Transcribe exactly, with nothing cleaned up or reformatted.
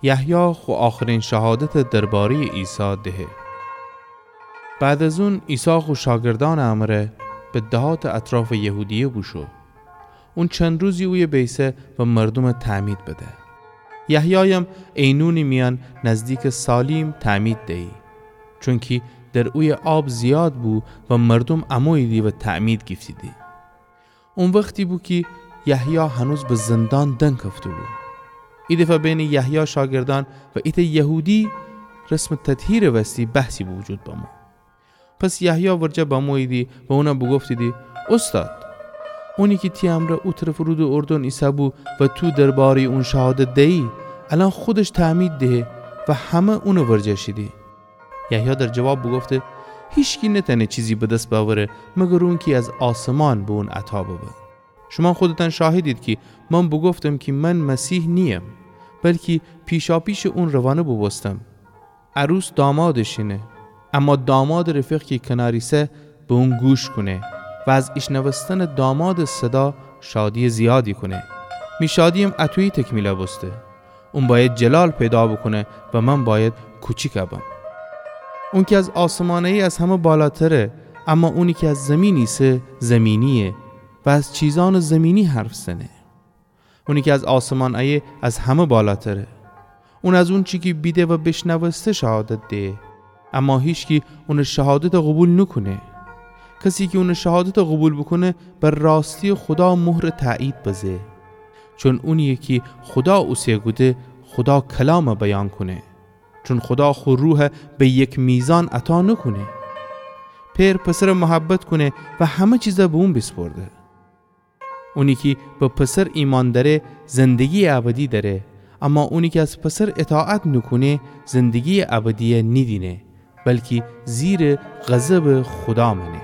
یحیی خو آخرین شهادتَ درباره‌یٚ عیسی دهه. بعد از اون عیسی خو شاگردأنٚ امره به دهاتٚ اطرافٚ یهودیه بوشو. اون چند روزی اویه بیسه و مردومَ تعمید بده. یحیایم عینونٚ میأن نزدیکٚ سالیم تعمید دیی، چونکی در اویه آب زیاد بو و مردوم اموییدی و تعمید گیفتیدی. او وختی بو کی یحیی هنوز به زندان دنکفته‌بو. ایدفعه بینٚ یحیی شاگردأن و ایتأ یهودی رسمٚ تطهیرٚ وستی بحثی به وجود بمو. پس یحیی ورجه بموییدی و اونَ بوگفتیدی: اوستاد، اونی کی تی امرأ او طرفٚ رودٚ اردن ایسه‌بو و تو درباره‌یٚ اون شهادت دیی، الأن خودش تعمید دهه و همه اونٚ ورجه شیدی. یحیی در جواب بوگفته: هیچکی نتأنه چیزی به دس بأوره مگر اونکی از آسمان به اون عطا ببه. شومأن خودتأن شاهدید کی من بوگفتم کی من مسیح نییم، بلکی پیشاپیشٚ اون روانه بوبوستم. عروس دامادٚ شینه، اما دامادٚ رفیق کی کنار ایسه به اون گوش کونه و از ایشنوستنٚ دامادٚ صدا شادییٚ زیادی کونه. می شادییم اطویی تکمیل بوسته. اون بأید جلال پیدا بوکونه و من بأید کوچیک بم. اونکی از آسمان ایه از همه بالاتره، اما اونی کی از زیمین ایسه زیمینییه و از چیزأنٚ زیمینی حرف زنه. اونی کی از آسمان ایه از همه بالاتره. اون از اونچی کی بیده و بیشنوسته شهادت دهه، اما هیچکی اونٚ شهادتَ قوبیل نوکونه. کسی کی اونٚ شهادتَ قوبیل بوکونه، بر راستییٚ خودا مهرٚ تأیید بزه. چون اونییه کی خودا اوسه کوده خودا کلامَ بیان کونه. چون خودا خو روحَ به یک میزان عطا نوکونه. پئر پسرَ محبت کونه و همه چیزَ به اون بیسپرده. اونی کی به پسر ایمأن دأره، زندگییٚ ابدی دأره، اما اونی کی از پسر اطاعت نوکونه، زندگییٚ ابدییَ نیدینه، بلکی زیرٚ غضبٚ خودا مأنه.